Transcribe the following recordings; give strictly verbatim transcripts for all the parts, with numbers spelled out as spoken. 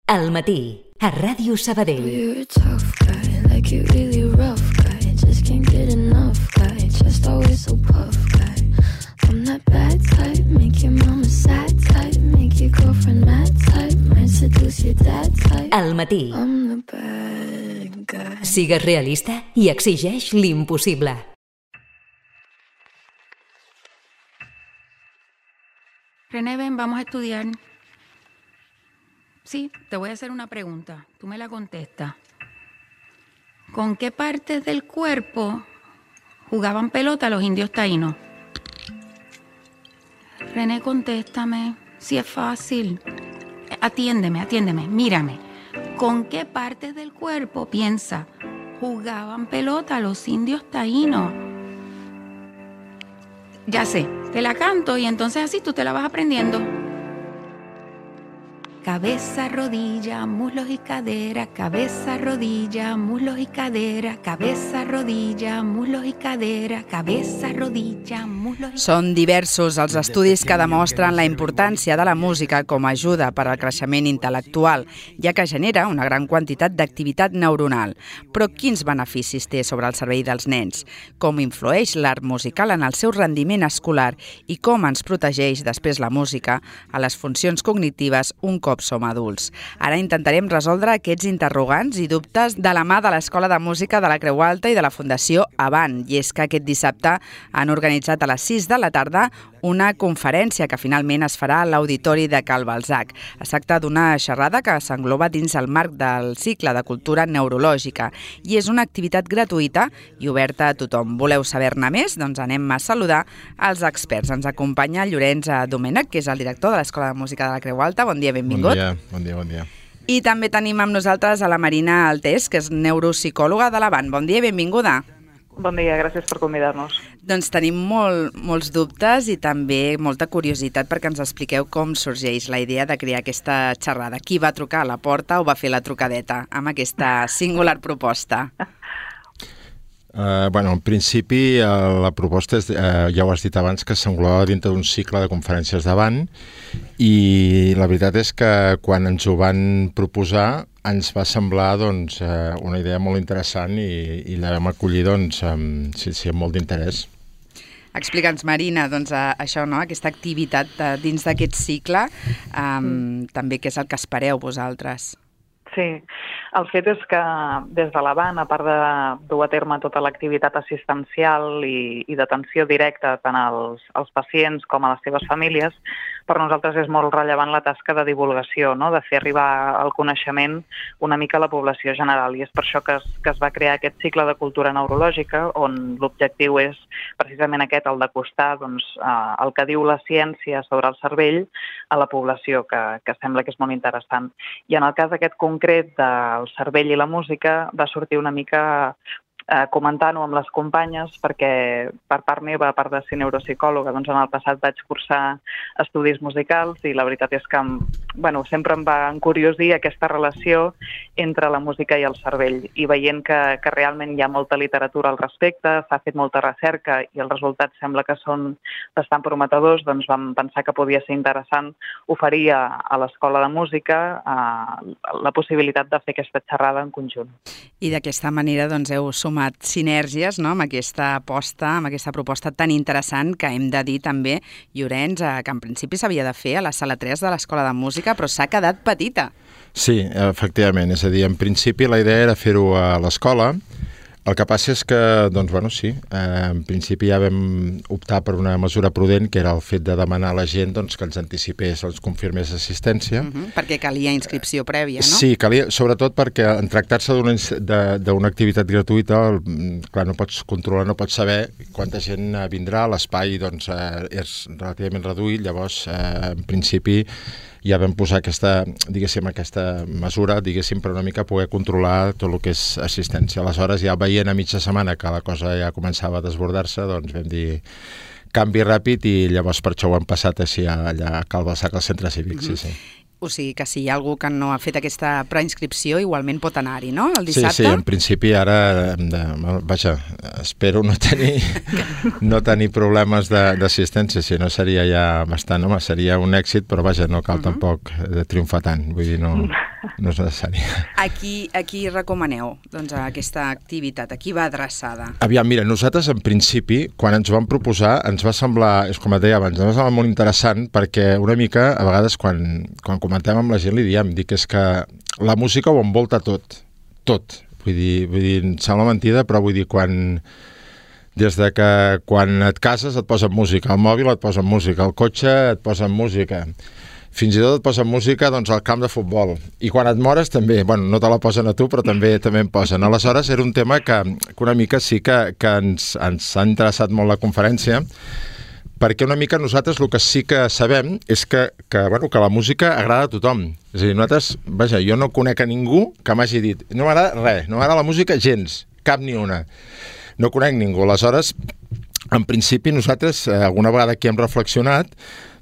Al matí, a Ràdio Sabadell. You're a tough guy, like you're really rough guy. Just can't get enough guy, just always so puff guy. I'm that bad type, make your mama sad type, make your girlfriend mad type, might seduce your dad type. Al matí. I'm the bad guy. Sigues realista i exigeix l'impossible. René, ven, vamos a estudiar. Sí, te voy a hacer una pregunta. Tú me la contestas. ¿Con qué partes del cuerpo jugaban pelota los indios taínos? René, contéstame. Sí, es fácil. Atiéndeme, atiéndeme, mírame. ¿Con qué partes del cuerpo, piensa, jugaban pelota los indios taínos? Ya sé, te la canto y entonces así tú te la vas aprendiendo. Cabeza, rodilla, muslos y cadera, cabeza, rodilla, muslos y cadera, cabeza, rodilla, muslos i cadera, cabeza, rodilla, muslos i... Són diversos els estudis que demostren la importància de la música com a ajuda per al creixement intel·lectual, ja que genera una gran quantitat d'activitat neuronal. Però quins beneficis té sobre el cervell dels nens? Com influeix l'art musical en el seu rendiment escolar i com ens protegeix després la música a les funcions cognitives un cop som adults. Ara intentarem resoldre aquests interrogants i dubtes de la mà de l'Escola de Música de la Creu Alta i de la Fundació Avant. I és que aquest dissabte han organitzat a les sis de la tarda una conferència que finalment es farà a l'Auditori de Cal Balzac. Es tracta d'una xerrada que s'engloba dins el marc del cicle de cultura neurològica i és una activitat gratuïta i oberta a tothom. Voleu saber-ne més? Doncs anem a saludar els experts. Ens acompanya Llorenç Domènech, que és el director de l'Escola de Música de la Creu Alta. Bon dia, benvingut. Bon dia, bon dia, bon dia. I també tenim amb nosaltres a la Marina Altés, que és neuropsicòloga de l'Avant. Bon dia i benvinguda. Bon dia, gràcies per convidar-nos. Doncs tenim molt, molts dubtes i també molta curiositat perquè ens expliqueu com sorgeix la idea de crear aquesta xerrada. Qui va trucar a la porta o va fer la trucadeta amb aquesta singular proposta? Uh, bueno, en principi uh, la proposta és, uh, ja ho has dit abans, que s'englobava dintre d'un cicle de conferències d'Avant i la veritat és que quan ens ho van proposar ens va semblar doncs, uh, una idea molt interessant i, i la vam acollir doncs, amb, sí, sí, amb molt d'interès. Explica'ns, Marina, doncs, uh, això, no? Aquesta activitat uh, dins d'aquest cicle, um, mm. també què és el que espereu vosaltres? Sí, el fet és que des de l'Avant, a part de dur a terme tota l'activitat assistencial i, i d'atenció directa tant als, als pacients com a les seves famílies, per nosaltres és molt rellevant la tasca de divulgació, no? De fer arribar el coneixement una mica a la població general. I és per això que es, que es va crear aquest cicle de cultura neurològica, on l'objectiu és precisament aquest, el d'acostar doncs, eh, el que diu la ciència sobre el cervell a la població, que, que sembla que és molt interessant. I en el cas aquest concret del cervell i la música va sortir una mica eh, comentant-ho amb les companyes, perquè per part meva, a part de ser neuropsicòloga, doncs en el passat vaig cursar estudis musicals i la veritat és que bueno, sempre em va encuriosir aquesta relació entre la música i el cervell. I veient que, que realment hi ha molta literatura al respecte, s'ha fet molta recerca i els resultats sembla que són bastant prometedors, doncs vam pensar que podia ser interessant oferir a, a l'Escola de Música eh, la possibilitat de fer aquesta xerrada en conjunt. I d'aquesta manera doncs, heu sumat sinergies, no?, amb aquesta aposta, amb aquesta proposta tan interessant que hem de dir també, Llorenç, que en principi s'havia de fer a la sala tres de l'Escola de Música, però s'ha quedat petita. Sí, efectivament. És a dir, en principi la idea era fer-ho a l'escola. El que passa és que, doncs, bueno, sí, eh, en principi ja vam optar per una mesura prudent, que era el fet de demanar a la gent doncs, que ens anticipés, els confirmés assistència. Uh-huh, perquè calia inscripció prèvia, no? Sí, calia, sobretot perquè en tractar-se d'una activitat gratuïta, clar, no pots controlar, no pots saber quanta gent vindrà, l'espai doncs, eh, és relativament reduït, llavors, eh, en principi, ja vam posar aquesta, diguéssim, aquesta mesura, diguéssim, per una mica poder controlar tot el que és assistència. Aleshores, ja veient a mitja setmana que la cosa ja començava a desbordar-se, doncs vam dir canvi ràpid i llavors per això ho hem passat així allà a Cal Balzac, al centre cívic, uh-huh. sí, sí. O sigui que si hi ha algú que no ha fet aquesta preinscripció, igualment pot anar-hi, no?, el dissabte? Sí, sí, en principi ara, hem de, vaja, espero no tenir, no tenir problemes d'assistència, si no seria ja bastant, home, seria un èxit, però vaja, no cal uh-huh. tampoc de triomfar tant, vull dir, no... no és necessari. A qui, a qui recomaneu doncs, aquesta activitat? A qui va adreçada? Aviam, mira, nosaltres en principi, quan ens ho vam proposar, ens va semblar, és com et deia abans, ens va semblar molt interessant perquè una mica, a vegades, quan, quan comentem amb la gent, li diem, dic, és que la música ho envolta tot, tot. Vull dir, vull dir, em sembla mentida, però vull dir, quan... Des de que quan et cases et posen música, el mòbil et posen música, el cotxe et posen música, fins i tot et posen música doncs, al camp de futbol. I quan et mores també, bueno, no te la posen a tu, però també també en posen. Aleshores, era un tema que, que una mica sí que, que ens, ens ha interessat molt la conferència, perquè una mica nosaltres el que sí que sabem és que, que, bueno, que la música agrada a tothom. És a dir, nosaltres, vaja, jo no conec a ningú que m'hagi dit no m'agrada res, no m'agrada la música gens, cap ni una. No conec ningú. Aleshores, en principi, nosaltres, eh, alguna vegada aquí hem reflexionat,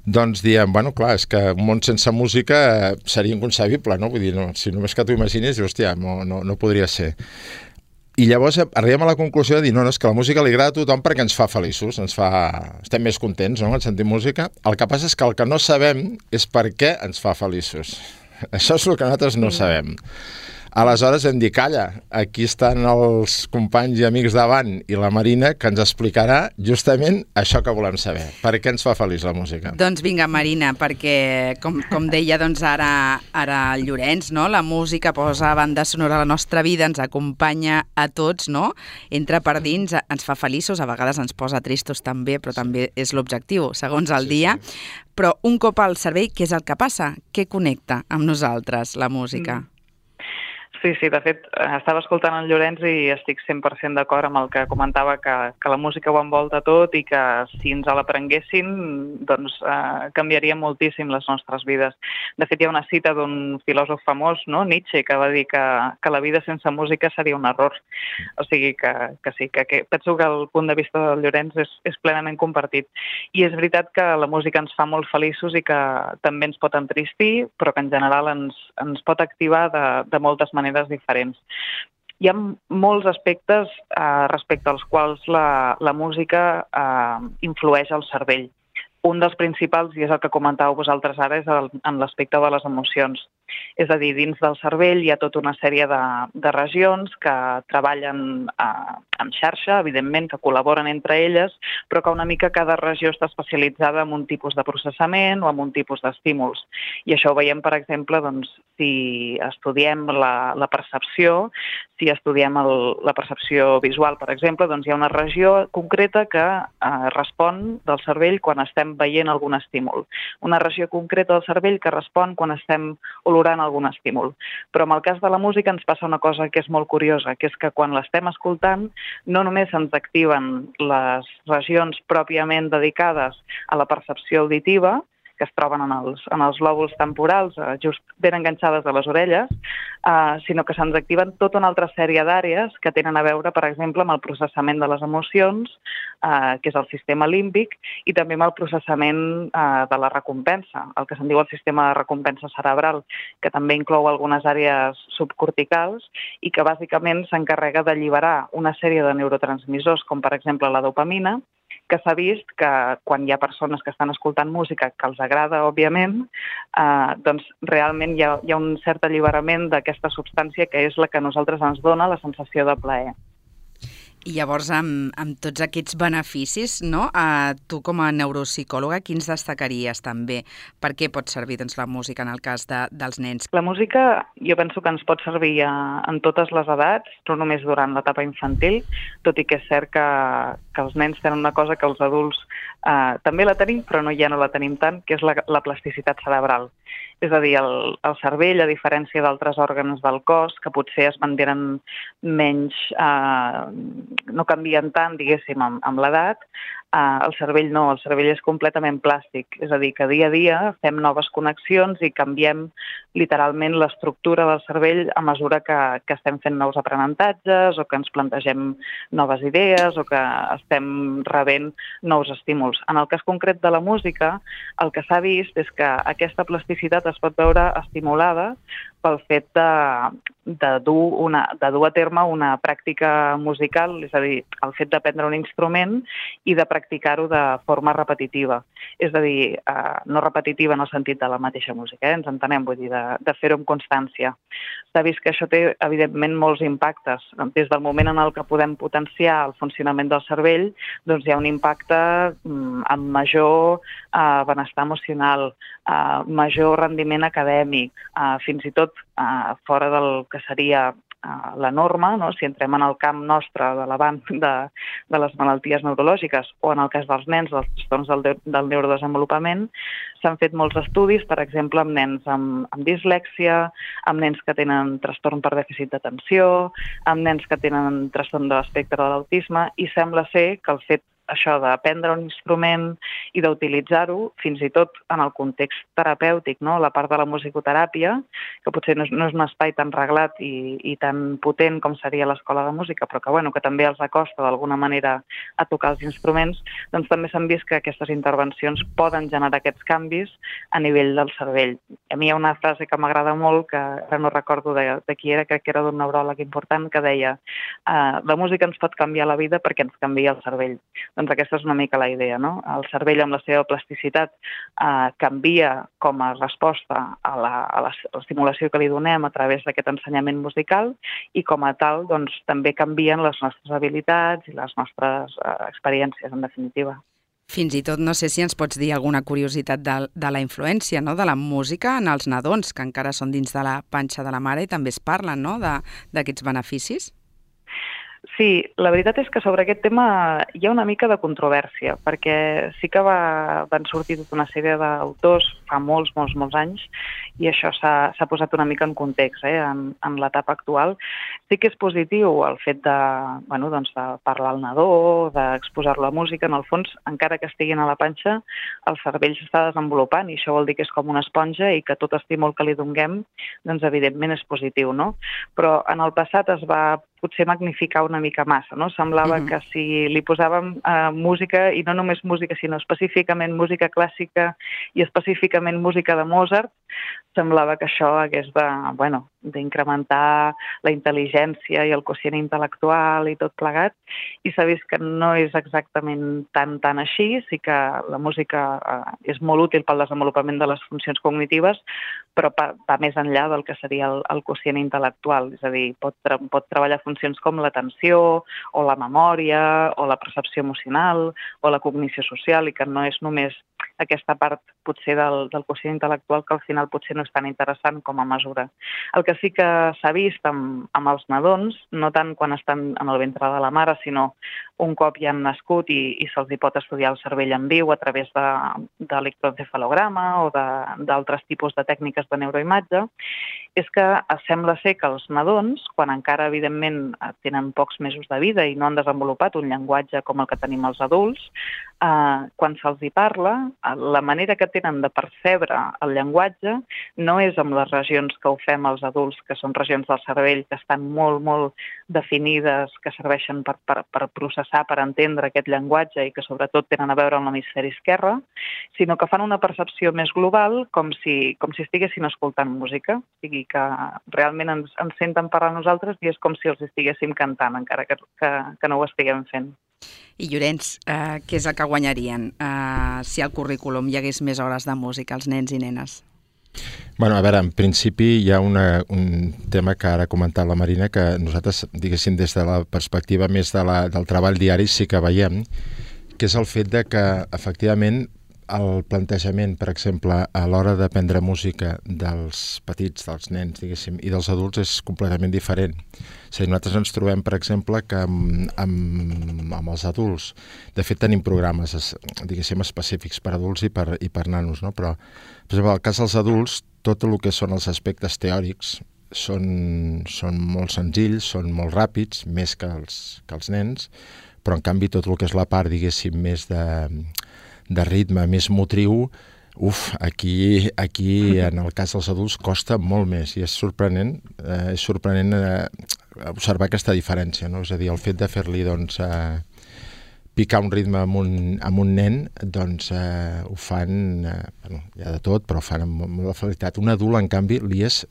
doncs diem, bueno, clar, és que un món sense música eh, seria inconcebible, no? Vull dir, no, si només que t'ho imagines, hòstia, no, no, no podria ser. I llavors arribem a la conclusió de dir, no, no, és que la música li agrada a tothom perquè ens fa feliços, ens fa... estem més contents, no?, en sentir música. El que passa és que el que no sabem és per què ens fa feliços. Això és el que nosaltres no sabem. Aleshores hem dit, calla, aquí estan els companys i amics davant i la Marina que ens explicarà justament això que volem saber. Per què ens fa feliç la música? Doncs vinga, Marina, perquè com, com deia doncs ara, ara el Llorenç, no? La música posa banda sonora a la nostra vida, ens acompanya a tots, no? Entra per dins, ens fa feliços, a vegades ens posa tristos també, però també és l'objectiu, segons el dia. Sí, sí. Però un cop al cervell, què és el que passa? Què connecta amb nosaltres, la música? Mm. Sí, sí, de fet, estava escoltant el Llorenç i estic cent per cent d'acord amb el que comentava, que, que la música ho envolta tot i que si ens l'aprenguessin, doncs eh, canviaria moltíssim les nostres vides. De fet, hi ha una cita d'un filòsof famós, no? Nietzsche, que va dir que, que la vida sense música seria un error. O sigui que, que sí, que, que penso que el punt de vista del Llorenç és, és plenament compartit. I és veritat que la música ens fa molt feliços i que també ens pot entristir, però que en general ens, ens pot activar de, de moltes maneres diferents. Hi ha molts aspectes eh, respecte als quals la, la música eh, influeix al cervell. Un dels principals, i és el que comentàveu vosaltres ara, és el, en l'aspecte de les emocions. És a dir, dins del cervell hi ha tota una sèrie de, de regions que treballen eh, en xarxa, evidentment, que col·laboren entre elles, però que una mica cada regió està especialitzada en un tipus de processament o en un tipus d'estímuls. I això ho veiem, per exemple, doncs, si estudiem la, la percepció, si estudiem el, la percepció visual, per exemple, doncs hi ha una regió concreta que eh, respon del cervell quan estem veient algun estímul. Una regió concreta del cervell que respon quan estem olorant algun estímul. Però en el cas de la música ens passa una cosa que és molt curiosa, que és que quan l'estem escoltant no només ens activen les regions pròpiament dedicades a la percepció auditiva, que es troben en els, en els lòbuls temporals, eh, just ben enganxades a les orelles, eh, sinó que se'ns activen tota una altra sèrie d'àrees que tenen a veure, per exemple, amb el processament de les emocions, eh, que és el sistema límbic, i també amb el processament eh, de la recompensa, el que se'n diu el sistema de recompensa cerebral, que també inclou algunes àrees subcorticals i que bàsicament s'encarrega d'alliberar una sèrie de neurotransmissors, com per exemple la dopamina, que s'ha vist que quan hi ha persones que estan escoltant música que els agrada, òbviament, eh, doncs realment hi ha, hi ha un cert alliberament d'aquesta substància que és la que a nosaltres ens dona la sensació de plaer. I llavors, amb, amb tots aquests beneficis, no? Eh, tu com a neuropsicòloga, quins destacaries també? Per què pot servir doncs, la música en el cas de, dels nens? La música jo penso que ens pot servir a, en totes les edats, no només durant l'etapa infantil, tot i que és cert que, que els nens tenen una cosa que els adults eh, també la tenim, però no, ja no la tenim tant, que és la, la plasticitat cerebral. És a dir, el, el cervell, a diferència d'altres òrgans del cos, que potser es mantenen menys, eh, no canvien tant, diguéssim, amb, amb l'edat, eh, el cervell no, el cervell és completament plàstic. És a dir, que dia a dia fem noves connexions i canviem literalment l'estructura del cervell a mesura que, que estem fent nous aprenentatges o que ens plantegem noves idees o que estem rebent nous estímuls. En el cas concret de la música, el que s'ha vist és que aquesta plasticitat es pot veure estimulada pel fet de, de dur, una, de dur a terme una pràctica musical, és a dir, el fet d'aprendre un instrument i de practicar-ho de forma repetitiva. És a dir, eh, no repetitiva en el sentit de la mateixa música, eh? Ens entenem, vull dir, de, de fer-ho amb constància. S'ha vist que això té, evidentment, molts impactes. Des del moment en el que podem potenciar el funcionament del cervell, doncs hi ha un impacte mm, amb major eh, benestar emocional, eh, major rendiment acadèmic, eh, fins i tot eh, fora del que seria eh, la norma, no? Si entrem en el camp nostre de l'avant de, de les malalties neurològiques o en el cas dels nens, dels trastorns del, de, del neurodesenvolupament, s'han fet molts estudis, per exemple, amb nens amb, amb dislèxia, amb nens que tenen trastorn per dèficit d'atenció, amb nens que tenen trastorn de l'espectre de l'autisme, i sembla ser que el fet això d'aprendre un instrument i d'utilitzar-ho, fins i tot en el context terapèutic, no? La part de la musicoteràpia, que potser no és, no és un espai tan reglat i, i tan potent com seria l'escola de música, però que, bueno, que també els acosta d'alguna manera a tocar els instruments, doncs també s'han vist que aquestes intervencions poden generar aquests canvis a nivell del cervell. A mi hi ha una frase que m'agrada molt, que ara no recordo de, de qui era, crec que era d'un neuròleg important, que deia uh, la música ens pot canviar la vida perquè ens canvia el cervell. Doncs aquesta és una mica la idea, no? El cervell amb la seva plasticitat eh, canvia com a resposta a la, a l'estimulació que li donem a través d'aquest ensenyament musical i com a tal doncs, també canvien les nostres habilitats i les nostres eh, experiències, en definitiva. Fins i tot no sé si ens pots dir alguna curiositat de, de la influència, no?, de la música en els nadons, que encara són dins de la panxa de la mare i també es parlen, no?, d'aquests beneficis. Sí, la veritat és que sobre aquest tema hi ha una mica de controvèrsia, perquè sí que va, van sortir tota una sèrie d'autors fa molts, molts, molts anys, i això s'ha posat una mica en context, eh, en, en l'etapa actual. Sí que és positiu el fet de, bueno, doncs de parlar al nadó, d'exposar-lo a la música. En el fons, encara que estiguin a la panxa, el cervell s'està desenvolupant, i això vol dir que és com una esponja i que tot estímul que li donem, doncs evidentment és positiu, no? Però en el passat es va potser magnificar una mica massa, no? Semblava uh-huh. que si li posàvem uh, música, i no només música, sinó específicament música clàssica i específicament música de Mozart, semblava que això hagués de, bueno, d'incrementar la intel·ligència i el quocient intel·lectual i tot plegat, i s'ha vist que no és exactament tan, tan així. Sí que la música eh, és molt útil pel desenvolupament de les funcions cognitives, però va, va més enllà del que seria el, el quocient intel·lectual, és a dir, pot, tra pot treballar funcions com l'atenció, o la memòria, o la percepció emocional, o la cognició social, i que no és només aquesta part potser del, del quocient intel·lectual que al final potser no és tan interessant com a mesura. El que sí que s'ha vist amb, amb els nadons, no tant quan estan en el ventre de la mare, sinó un cop ja han nascut i, i se'ls hi pot estudiar el cervell en viu a través de, d'electroencefalograma o d'altres tipus de tècniques de neuroimatge, és que sembla ser que els nadons, quan encara evidentment tenen pocs mesos de vida i no han desenvolupat un llenguatge com el que tenim els adults, eh, quan se'ls hi parla, la manera que tenen de percebre el llenguatge no és amb les regions que ho fem els adults, que són regions del cervell que estan molt, molt definides, que serveixen per, per, per processar, per entendre aquest llenguatge i que sobretot tenen a veure amb l'hemisferi esquerre, sinó que fan una percepció més global, com si, com si estiguessin escoltant música. O sigui, que realment ens, ens senten parlar a nosaltres i és com si els estiguéssim cantant, encara que, que, que no ho estiguem fent. I Llorenç, eh, què és el que guanyarien eh, si al currículum hi hagués més hores de música als nens i nenes? Bueno, a veure, en principi hi ha una, un tema que ara ha comentat la Marina, que nosaltres, diguéssim, des de la perspectiva més de la, del treball diari sí que veiem, que és el fet de que, efectivament, el plantejament, per exemple, a l'hora d'aprendre música dels petits, dels nens, diguéssim, i dels adults és completament diferent. És a dir, nosaltres ens trobem, per exemple, que amb, amb, amb els adults, de fet tenim programes, diguéssim, específics per adults i per, i per nanos, no? Però, per exemple, en el cas dels adults, tot el que són els aspectes teòrics són, són molt senzills, són molt ràpids, més que els, que els nens, però en canvi tot el que és la part, diguéssim, més de de ritme més motriu, uf, aquí, aquí en el cas dels adults costa molt més i és sorprenent, eh, és sorprenent eh, observar aquesta diferència, no? És a dir, el fet de fer-li doncs, eh, picar un ritme amb un, amb un nen, doncs eh, ho fan, eh, bueno, hi ha de tot, però ho fan amb molta facilitat. Un adult, en canvi, li és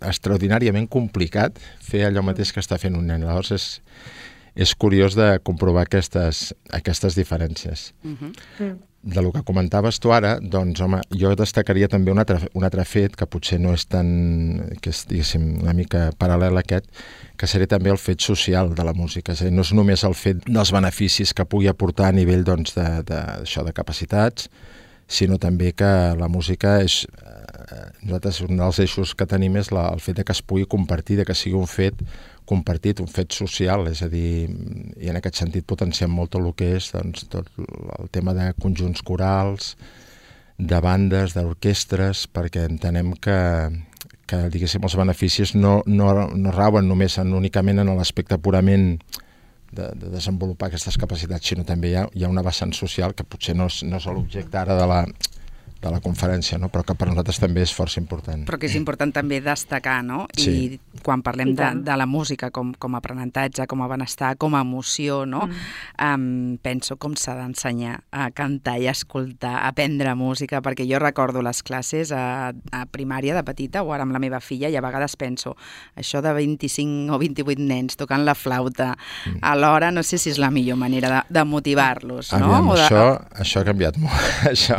extraordinàriament complicat fer allò mateix que està fent un nen. Llavors és, és curiós de comprovar aquestes, aquestes diferències. Uh-huh. Mm. De lo que comentaves tu ara, doncs, home, jo destacaria també un altre, un altre fet que potser no és tan, que és, diguéssim, una mica paral·lel a aquest, que seria també el fet social de la música. És a dir, no és només el fet dels beneficis que pugui aportar a nivell, doncs, de, de, això, de capacitats, sinó també que la música és... Eh, nosaltres, un dels eixos que tenim és la, el fet de que es pugui compartir, de que sigui un fet compartit, un fet social, és a dir, i en aquest sentit potenciem molt tot el que és, doncs, tot el tema de conjunts corals, de bandes, d'orquestres, perquè entenem que, que diguéssim, els beneficis no, no, no rauen només en, únicament en l'aspecte purament de, de desenvolupar aquestes capacitats, sinó també hi ha, hi ha una vessant social que potser no és, no és l'objecte ara de la, de la conferència, no? Però que per nosaltres també és força important. Però que és important també destacar, no? Sí. I quan parlem de, de la música com, com a aprenentatge, com a benestar, com a emoció, no? Mm. Um, penso com s'ha d'ensenyar a cantar i a escoltar, a aprendre música, perquè jo recordo les classes a, a primària de petita o ara amb la meva filla i a vegades penso això de vint-i-cinc o vint-i-vuit nens tocant la flauta mm. alhora, no sé si és la millor manera de, de motivar-los, no? Aviam, o de... això, això ha canviat molt. això...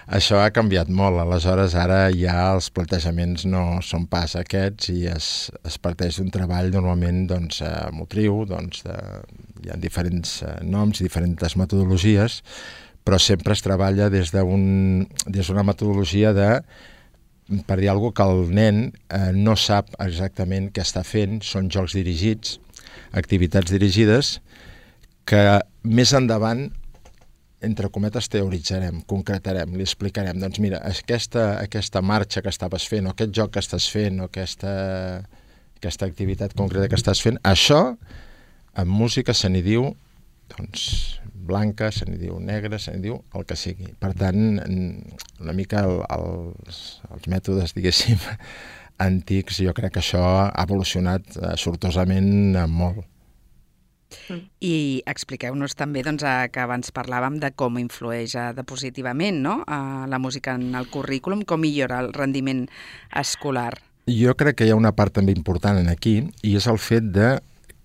Això ha canviat molt, aleshores ara ja els plantejaments no són pas aquests i es, es parteix d'un treball normalment doncs, eh, motriu, doncs, de, hi ha diferents eh, noms i diferents metodologies, però sempre es treballa des d'un des d'una metodologia de, per dir alguna cosa, que el nen eh, no sap exactament què està fent, són jocs dirigits, activitats dirigides, que més endavant entre cometes, teoritzarem, concretarem, li explicarem, doncs mira, aquesta, aquesta marxa que estaves fent, o aquest joc que estàs fent, o aquesta, aquesta activitat concreta que estàs fent, això, en música se n'hi diu, doncs, blanca, se n'hi diu negra, se n'hi diu el que sigui. Per tant, una mica el, els, els mètodes, diguéssim, antics, jo crec que això ha evolucionat eh, sortosament eh, molt. I expliqueu-nos també doncs, que abans parlàvem de com influeix de positivament, no? La música en el currículum, com millora el rendiment escolar. Jo crec que hi ha una part també important en aquí i és el fet de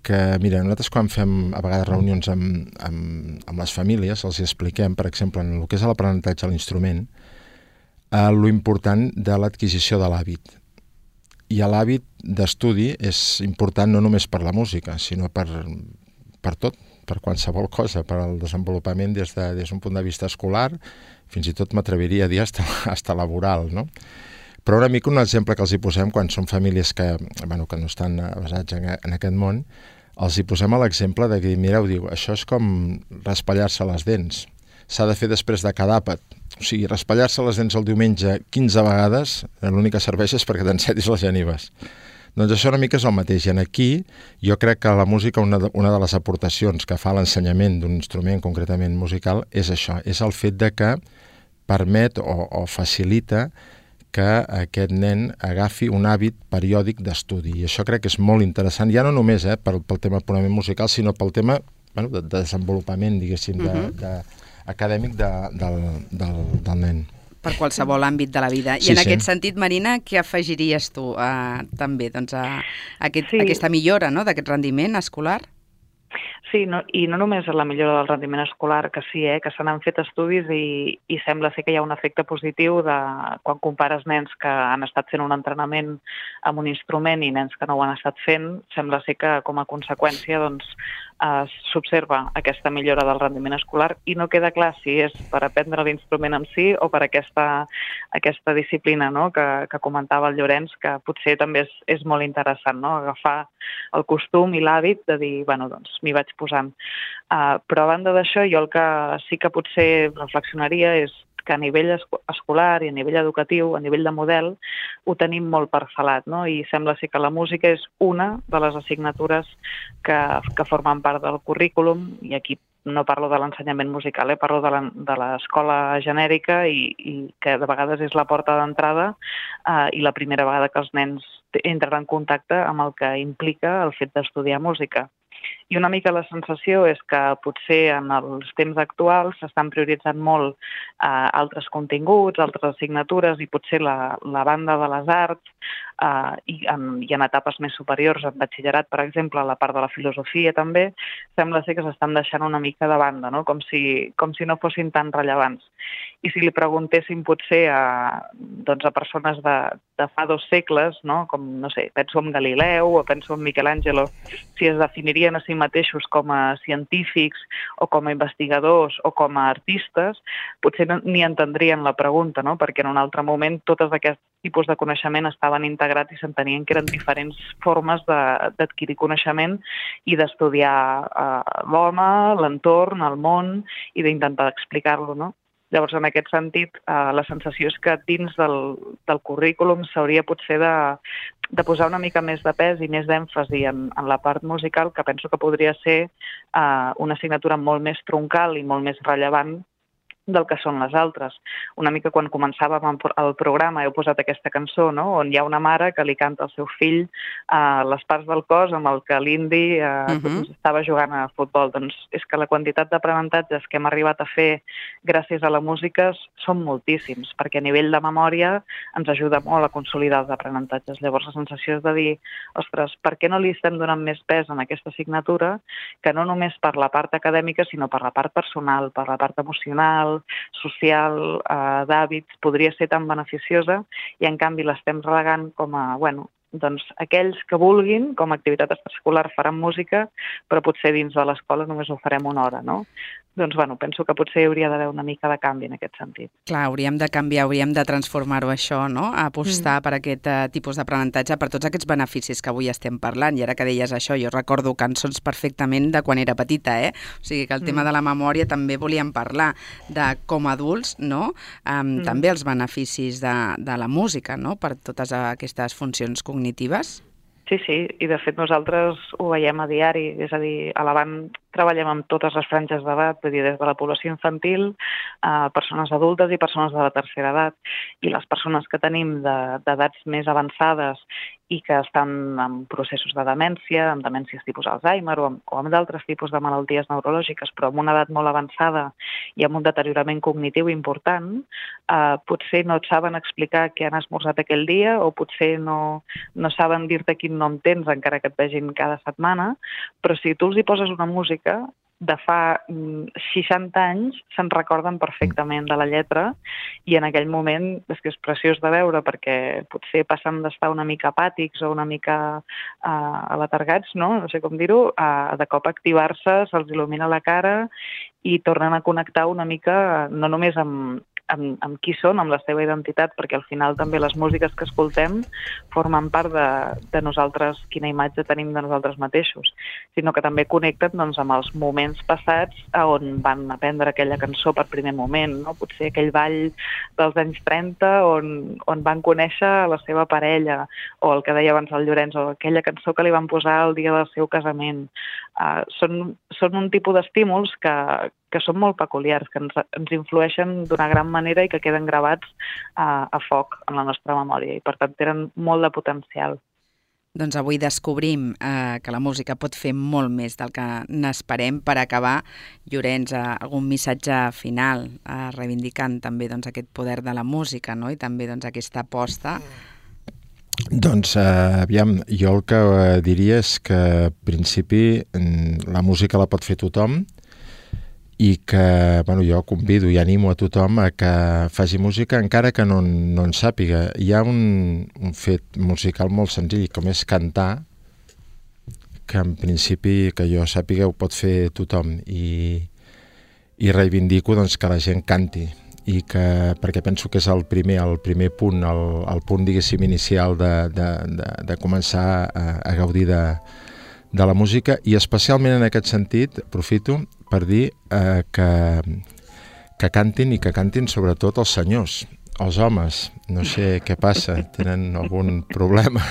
que, mira, nosaltres quan fem a vegades reunions amb, amb, amb les famílies els expliquem, per exemple, en el que és l'aprenentatge a l'instrument, eh, lo important de l'adquisició de l'hàbit. I l'hàbit d'estudi és important no només per la música, sinó per... per tot, per qualsevol cosa, per al desenvolupament des d'un de, des punt de vista escolar, fins i tot m'atreviria a dir hasta, hasta laboral, no? Però una mica un exemple que els hi posem quan són famílies que, bueno, que no estan basats en, en aquest món, els hi posem a l'exemple de dir, mireu, diu, això és com raspallar-se les dents. S'ha de fer després de cada àpat. O sigui, raspallar-se les dents el diumenge quinze vegades, l'únic que serveix és perquè t'encetis les genives. Doncs això una mica és el mateix. I aquí jo crec que la música, una de, una de les aportacions que fa l'ensenyament d'un instrument concretament musical és això, és el fet de que permet o, o facilita que aquest nen agafi un hàbit periòdic d'estudi. I això crec que és molt interessant, ja no només eh, pel, pel tema purament musical, sinó pel tema bueno, de, de desenvolupament, diguéssim, de, uh-huh. de, acadèmic de, del, del, del nen. Per qualsevol àmbit de la vida. I sí, en sí. aquest sentit, Marina, què afegiries tu uh, també doncs, a, a aquest, sí. aquesta millora no, d'aquest rendiment escolar? Sí, no, i no només la millora del rendiment escolar, que sí, eh, que se n'han fet estudis i, i sembla ser que hi ha un efecte positiu de quan compares nens que han estat fent un entrenament amb un instrument i nens que no ho han estat fent, sembla ser que com a conseqüència doncs, eh, s'observa aquesta millora del rendiment escolar i no queda clar si és per aprendre l'instrument en si o per aquesta, aquesta disciplina no? que, que comentava el Llorenç, que potser també és, és molt interessant, no? Agafar el costum i l'hàbit de dir, bueno, doncs m'hi vaig posant. Uh, però a banda d'això, jo el que sí que potser reflexionaria és que a nivell escolar i a nivell educatiu, a nivell de model, ho tenim molt parcel·lat, no? I sembla ser que la música és una de les assignatures que, que formen part del currículum, i aquí no parlo de l'ensenyament musical, eh? Parlo de l'escola genèrica i, i que de vegades és la porta d'entrada eh, i la primera vegada que els nens entren en contacte amb el que implica el fet d'estudiar música. I una mica la sensació és que potser en els temps actuals s'estan prioritzant molt eh, altres continguts, altres assignatures, i potser la, la banda de les arts eh, i, en, i en etapes més superiors, en batxillerat, per exemple, la part de la filosofia també, sembla ser que s'estan deixant una mica de banda, no? com, si, com si no fossin tan rellevants. I si li preguntéssim potser a, doncs a persones de, de fa dos segles, no? com, no sé, penso en Galileu o penso en Michelangelo, si es definirien a si mateixos com a científics o com a investigadors o com a artistes, potser no, ni entendrien la pregunta, no? perquè en un altre moment tots aquests tipus de coneixement estaven integrats i s'entenien que eren diferents formes d'adquirir coneixement i d'estudiar eh, l'home, l'entorn, el món i d'intentar explicar-lo, no? Llavors, en aquest sentit, eh, la sensació és que dins del, del currículum s'hauria potser de, de posar una mica més de pes i més d'èmfasi en, en la part musical, que penso que podria ser eh, una assignatura molt més troncal i molt més rellevant del que són les altres. Una mica quan començàvem el programa heu posat aquesta cançó, no? on hi ha una mare que li canta al seu fill uh, les parts del cos amb el que l'Indi uh, uh-huh. doncs, estava jugant a futbol. Doncs és que la quantitat d'aprenentatges que hem arribat a fer gràcies a la música són moltíssims, perquè a nivell de memòria ens ajuda molt a consolidar els aprenentatges. Llavors la sensació és de dir, ostres, per què no li estem donant més pes en aquesta assignatura, que no només per la part acadèmica, sinó per la part personal, per la part emocional, social, eh, d'hàbits, podria ser tan beneficiosa i en canvi l'estem relegant com a, bueno, doncs aquells que vulguin, com a activitat extraescolar faran música, però potser dins de l'escola només ho farem una hora, no? Doncs, bueno, penso que potser hi hauria d'haver una mica de canvi en aquest sentit. Clar, hauríem de canviar, hauríem de transformar-ho això, no? Apostar mm. per aquest uh, tipus d'aprenentatge, per tots aquests beneficis que avui estem parlant. I ara que deies això, jo recordo cançons perfectament de quan era petita, eh? O sigui que el mm. tema de la memòria també volíem parlar de com a adults, no? Um, mm. També els beneficis de, de la música, no? Per totes aquestes funcions cognitives. Sí, sí, i de fet nosaltres ho veiem a diari, és a dir, a l'Avant treballem amb totes les franges d'edat, vull dir, des de la població infantil a persones adultes i persones de la tercera edat. I les persones que tenim d'edats més avançades i que estan en processos de demència, amb demències tipus Alzheimer o amb, o amb d'altres tipus de malalties neurològiques, però amb una edat molt avançada i amb un deteriorament cognitiu important, eh, potser no et saben explicar què han esmorzat aquell dia o potser no, no saben dir-te quin nom tens encara que et vegin cada setmana, però si tu els hi poses una música de fa seixanta anys se'n recorden perfectament de la lletra i en aquell moment és que és preciós de veure perquè potser passen d'estar una mica apàtics o una mica uh, aletargats, no? No sé com dir-ho, uh, de cop activar-se, se'ls il·lumina la cara i tornen a connectar una mica no només amb Amb, amb qui són, amb la seva identitat, perquè al final també les músiques que escoltem formen part de, de nosaltres, quina imatge tenim de nosaltres mateixos, sinó que també connecten doncs, amb els moments passats on van aprendre aquella cançó per primer moment, no? Potser aquell ball dels anys trenta on, on van conèixer la seva parella, o el que deia abans el Llorenç, o aquella cançó que li van posar el dia del seu casament. Uh, són, són un tipus d'estímuls que, que són molt peculiars, que ens, ens influeixen d'una gran manera i que queden gravats uh, a foc en la nostra memòria i per tant tenen molt de potencial. Doncs avui descobrim eh, que la música pot fer molt més del que n'esperem. Per acabar, Llorenç, eh, algun missatge final eh, reivindicant també doncs, aquest poder de la música, no? I també doncs, aquesta aposta. Doncs, eh, aviam, jo el que eh, diria és que, en principi, la música la pot fer tothom i que, bueno, jo convido i animo a tothom a que faci música encara que no, no en sàpiga. Hi ha un, un fet musical molt senzill, com és cantar, que en principi, que jo sàpiga, ho pot fer tothom i, i reivindico doncs, que la gent canti. I que, perquè penso que és el primer, el primer punt, el, el punt, diguéssim, inicial de, de, de, de començar a, a gaudir de, de la música, i especialment en aquest sentit aprofito per dir eh, que, que cantin i que cantin sobretot els senyors, els homes. No sé què passa, tenen algun problema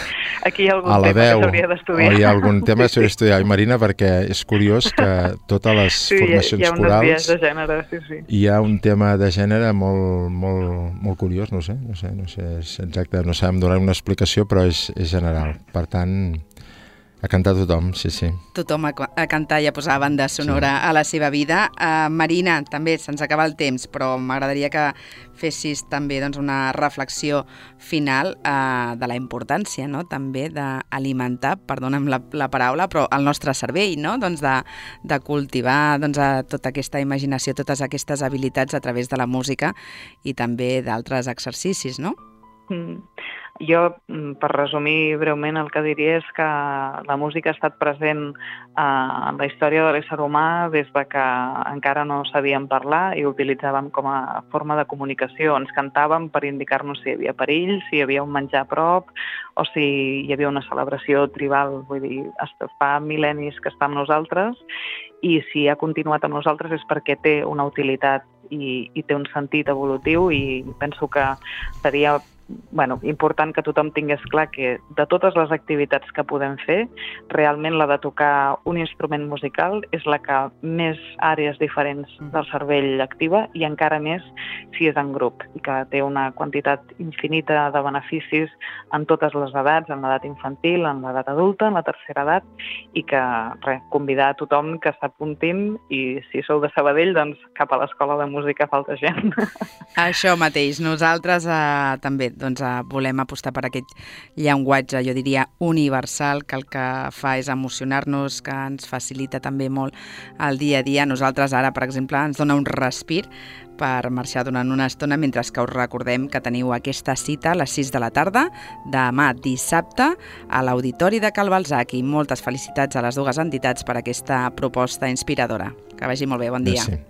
Aquí hi ha algun a la tema veu, que s'hauria d'estudiar. o hi ha algun tema que s'hauria d'estudiar. I Marina, perquè és curiós que totes les sí, formacions hi ha, hi ha corals de gènere, sí, sí. hi ha un tema de gènere molt, molt, molt curiós, no sé, no sé, no sé exacte, no sabem donar una explicació, però és, és general. Per tant, A cantar tothom, sí, sí. Tothom a, a cantar i a posar banda sonora sí. a la seva vida. Uh, Marina, també se'ns acaba el temps, però m'agradaria que fessis també doncs, una reflexió final uh, de la importància, no?, també d'alimentar, perdona'm la, la paraula, però el nostre cervell, no?, doncs de, de cultivar doncs, a tota aquesta imaginació, totes aquestes habilitats a través de la música i també d'altres exercicis, no? Mm. Jo, per resumir breument, el que diria és que la música ha estat present eh, en la història de l'ésser humà des de que encara no sabíem parlar i ho utilitzàvem com a forma de comunicació. Ens cantàvem per indicar-nos si hi havia perill, si hi havia un menjar a prop o si hi havia una celebració tribal. Vull dir, fa mil·lennis que està amb nosaltres i si ha continuat amb nosaltres és perquè té una utilitat i, i té un sentit evolutiu i penso que seria bueno, important que tothom tingués clar que de totes les activitats que podem fer, realment la de tocar un instrument musical és la que més àrees diferents del cervell activa i encara més si és en grup i que té una quantitat infinita de beneficis en totes les edats, en l'edat infantil, en l'edat adulta, en la tercera edat i que, res, convidar a tothom que s'apuntin i si sou de Sabadell, doncs cap a l'escola de música falta gent. Això mateix, nosaltres eh, també doncs, eh, volem apostar per aquest llenguatge, jo diria, universal, que el que fa és emocionar-nos, que ens facilita també molt el dia a dia. Nosaltres ara, per exemple, ens dona un respir per marxar durant una estona, mentre que us recordem que teniu aquesta cita a les sis de la tarda, demà dissabte, a l'Auditori de Cal Balzac. I moltes felicitats a les dues entitats per aquesta proposta inspiradora. Que vagi molt bé, bon dia. Merci.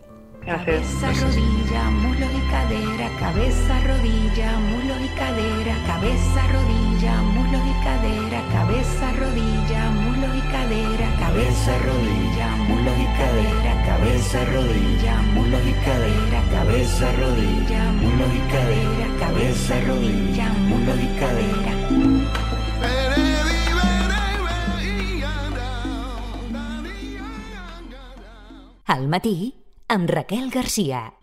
Gracias. Cabeza, rodilla, muslo y cadera, cabeza, rodilla, muslo y cadera, cabeza, rodilla, muslo y cadera, cabeza, rodilla, muslo y cadera, cabeza, rodilla, muslo y cadera, cabeza, rodilla, muslo y cadera, cabeza, rodilla, muslo y cadera, cabeza, rodilla, muslo y cadera. Al matí, amb Raquel Garcia.